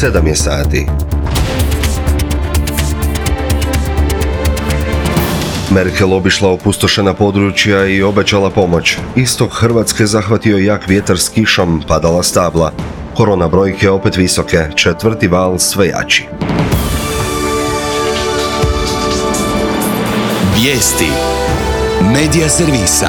7 je sati. Merkel obišla opustošena područja i obećala pomoć. Istok Hrvatske zahvatio jak vjetar s kišom, padala stabla. Korona brojke opet visoke, 4. val sve jači. Vijesti Medija servisa.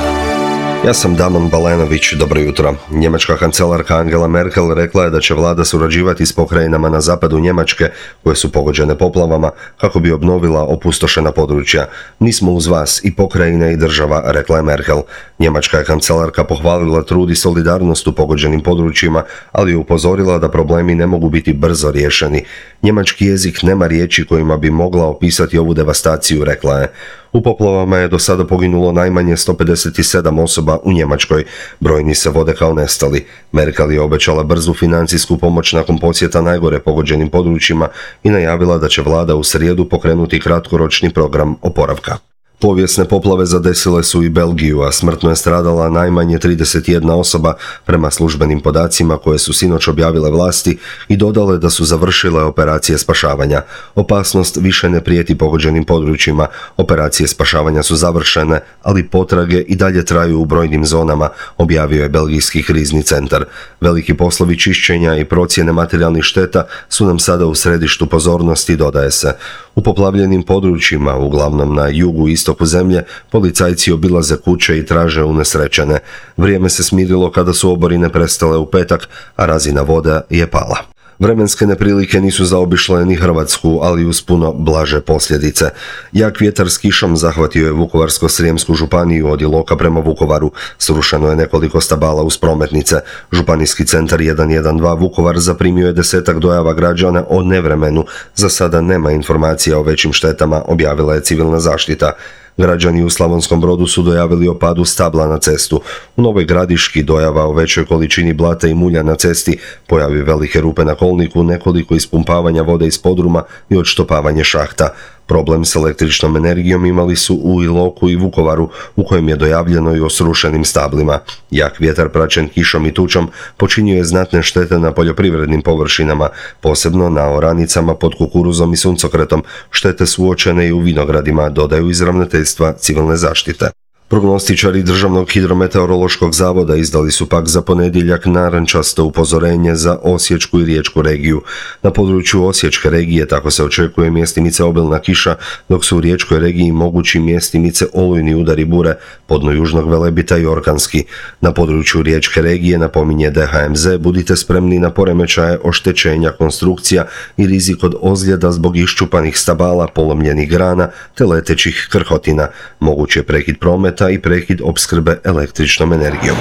Ja sam Damon Balenović, dobro jutro. Njemačka kancelarka Angela Merkel rekla je da će vlada surađivati s pokrajinama na zapadu Njemačke koje su pogođene poplavama kako bi obnovila opustošena područja. Mi smo uz vas i pokrajine i država, rekla je Merkel. Njemačka je kancelarka pohvalila trud i solidarnost u pogođenim područjima, ali je upozorila da problemi ne mogu biti brzo riješeni. Njemački jezik nema riječi kojima bi mogla opisati ovu devastaciju, rekla je. U poplavama je do sada poginulo najmanje 157 osoba u Njemačkoj. Brojni se vode kao nestali. Merkel je obećala brzu financijsku pomoć nakon posjeta najgore pogođenim područjima i najavila da će vlada u srijedu pokrenuti kratkoročni program oporavka. Povijesne poplave zadesile su i Belgiju, a smrtno je stradala najmanje 31 osoba prema službenim podacima koje su sinoć objavile vlasti i dodale da su završile operacije spašavanja. Opasnost više ne prijeti pogođenim područjima. Operacije spašavanja su završene, ali potrage i dalje traju u brojnim zonama, objavio je Belgijski krizni centar. Veliki poslovi čišćenja i procjene materijalnih šteta su nam sada u središtu pozornosti, dodaje se. U poplavljenim područjima, uglavnom na jugu i istoku zemlje, policajci obilaze kuće i traže unesrećene. Vrijeme se smirilo kada su oborine prestale u petak, a razina voda je pala. Vremenske neprilike nisu zaobišle ni Hrvatsku, ali uz puno blaže posljedice. Jak vjetar s kišom zahvatio je Vukovarsko-srijemsku županiju od Iloka prema Vukovaru. Srušeno je nekoliko stabala uz prometnice. Županijski centar 112 Vukovar zaprimio je 10-ak dojava građana o nevremenu. Za sada nema informacija o većim štetama, objavila je civilna zaštita. Građani u Slavonskom Brodu su dojavili o padu stabla na cestu. U Novoj Gradiški dojava o većoj količini blata i mulja na cesti, pojavi velike rupe na kolniku, nekoliko ispumpavanja vode iz podruma i odštopavanje šahta. Problem s električnom energijom imali su u Iloku i Vukovaru, u kojem je dojavljeno i o srušenim stablima. Jak vjetar praćen kišom i tučom počinio je znatne štete na poljoprivrednim površinama, posebno na oranicama pod kukuruzom i suncokretom. Štete su uočene i u vinogradima, dodaju iz ravnateljstva civilne zaštite. Prognostičari Državnog hidrometeorološkog zavoda izdali su pak za ponedjeljak narančasto upozorenje za Osječku i Riječku regiju. Na području Osječke regije tako se očekuje mjestimice obilna kiša, dok su u Riječkoj regiji mogući mjestimice olujni udari bure, podno južnog Velebita i orkanski. Na području Riječke regije, napominje DHMZ, budite spremni na poremećaje oštećenja konstrukcija i rizik od ozljeda zbog iščupanih stabala, polomljenih grana te letećih krhotina. Moguć je prekid prometa i prekid opskrbe električnom energijom.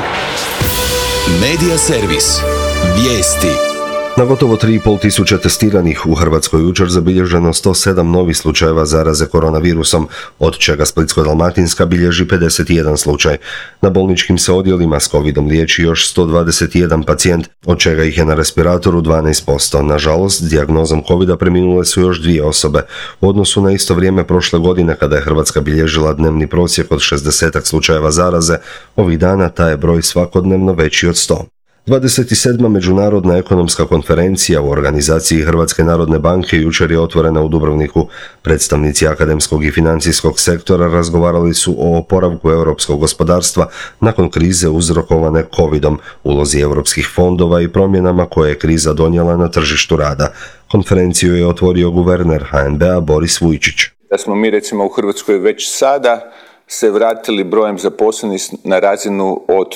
Medija servis. Vijesti. Na gotovo 3,5 tisuće testiranih u Hrvatskoj jučer zabilježeno 107 novih slučajeva zaraze koronavirusom, od čega Splitsko-dalmatinska bilježi 51 slučaj. Na bolničkim se odjelima s covidom liječi još 121 pacijent, od čega ih je na respiratoru 12%. Nažalost, s dijagnozom covida preminule su još 2 osobe. U odnosu na isto vrijeme prošle godine, kada je Hrvatska bilježila dnevni prosjek od 60 slučajeva zaraze, ovih dana taj je broj svakodnevno veći od 100. 27. Međunarodna ekonomska konferencija u organizaciji Hrvatske narodne banke jučer je otvorena u Dubrovniku. Predstavnici akademskog i financijskog sektora razgovarali su o oporavku europskog gospodarstva nakon krize uzrokovane covidom, ulozi europskih fondova i promjenama koje je kriza donijela na tržištu rada. Konferenciju je otvorio guverner HNB-a Boris Vujčić. Da smo mi recimo u Hrvatskoj već sada se vratili brojem zaposlenih na razinu od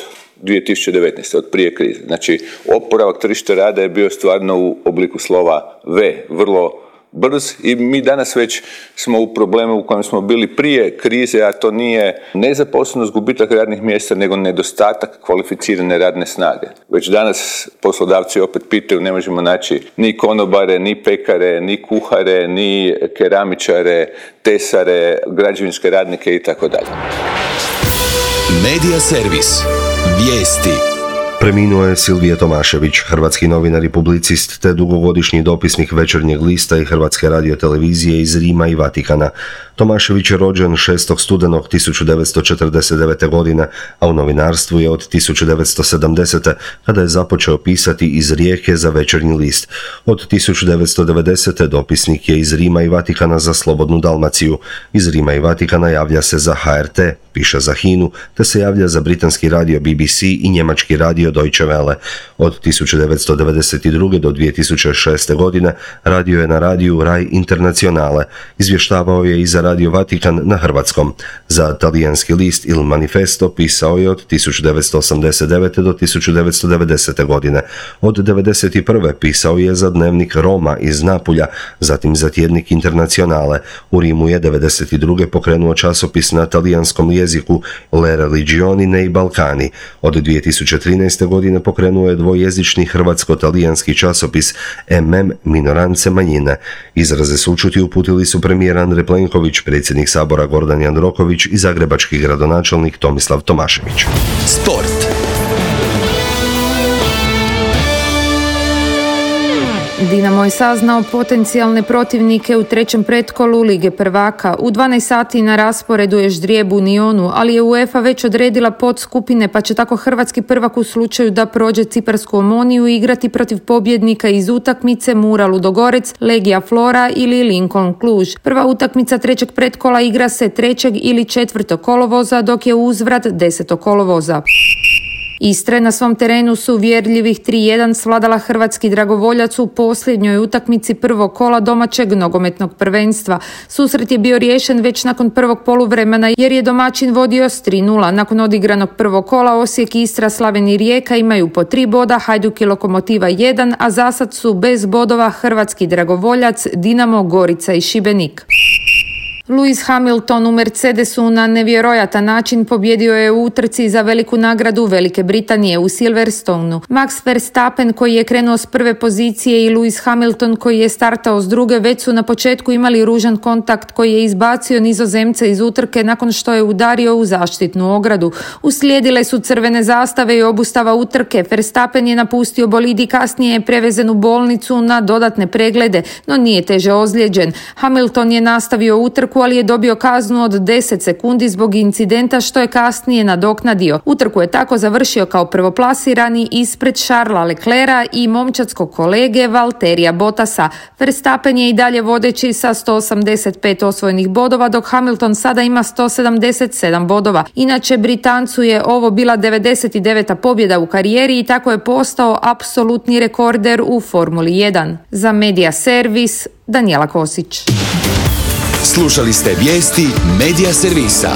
2019. od prije krize. Znači, oporavak tržišta rada je bio stvarno u obliku slova V, vrlo brz i mi danas već smo u problemu u kojem smo bili prije krize, a to nije nezaposlenost, gubitak radnih mjesta, nego nedostatak kvalificirane radne snage. Već danas poslodavci opet pitaju, ne možemo naći ni konobare, ni pekare, ni kuhare, ni keramičare, tesare, građevinske radnike itd. Medija servis. Vijesti. Preminuo je Silvije Tomašević, hrvatski novinar i publicist te dugogodišnji dopisnik Večernjeg lista i Hrvatske radiotelevizije iz Rima i Vatikana. Tomašević je rođen 6. studenog 1949. godine, a u novinarstvu je od 1970. kada je započeo pisati iz Rijeke za Večernji list. Od 1990. dopisnik je iz Rima i Vatikana za Slobodnu Dalmaciju. Iz Rima i Vatikana javlja se za HRT, piše za HINA-u, te se javlja za britanski radio BBC i njemački radio Deutsche Welle. Od 1992. do 2006. godine radio je na radiju Rai Internazionale. Izvještavao je i za Radio Vatikan na hrvatskom. Za talijanski list Il Manifesto pisao je od 1989. do 1990. godine. Od 1991. pisao je za dnevnik Roma iz Napulja, zatim za tjednik Internazionale. U Rimu je 1992. pokrenuo časopis na talijanskom jeziku Le Religioni nei Balcani. Od 2013. godine pokrenuo je dvojezični hrvatsko-talijanski časopis MM Minorance manjine. Izraze sućuti uputili su premijer Andrej Plenković, predsjednik Sabora Gordan Jandroković i zagrebački gradonačelnik Tomislav Tomašević. Sport. Dinamo je saznao potencijalne protivnike u trećem pretkolu Lige prvaka. U 12 sati na rasporedu je ždrijeb u Nionu, ali je UEFA već odredila podskupine, pa će tako hrvatski prvak u slučaju da prođe Ciparsku Omoniju igrati protiv pobjednika iz utakmice Mura Ludogorec, Legija Flora ili Lincoln Cluj. Prva utakmica trećeg pretkola igra se 3. ili 4. kolovoza, dok je uzvrat 10. kolovoza. Istre na svom terenu su uvjerljivih 3-1 svladala hrvatski dragovoljac u posljednjoj utakmici prvog kola domaćeg nogometnog prvenstva. Susret je bio riješen već nakon prvog poluvremena jer je domaćin vodio s 3-0. Nakon odigranog prvog kola Osijek, Istra, Slaven i Rijeka imaju po 3 boda, Hajduk i Lokomotiva 1, a zasad su bez bodova hrvatski dragovoljac, Dinamo, Gorica i Šibenik. Lewis Hamilton u Mercedesu na nevjerojatan način pobjedio je u utrci za veliku nagradu Velike Britanije u Silverstoneu. Max Verstappen koji je krenuo s prve pozicije i Lewis Hamilton koji je startao s druge već su na početku imali ružan kontakt koji je izbacio Nizozemce iz utrke nakon što je udario u zaštitnu ogradu. Uslijedile su crvene zastave i obustava utrke. Verstappen je napustio bolid i kasnije je prevezen u bolnicu na dodatne preglede, no nije teže ozlijeđen. Hamilton je nastavio utrku, ali je dobio kaznu od 10 sekundi zbog incidenta što je kasnije nadoknadio. Utrku je tako završio kao prvoplasirani ispred Charlesa Leclerca i momčadskog kolege Valterija Bottasa. Verstappen je i dalje vodeći sa 185 osvojenih bodova, dok Hamilton sada ima 177 bodova. Inače, Britancu je ovo bila 99. pobjeda u karijeri i tako je postao apsolutni rekorder u Formuli 1. Za Media Servis, Danijela Kosić. Slušali ste vijesti Media Servisa.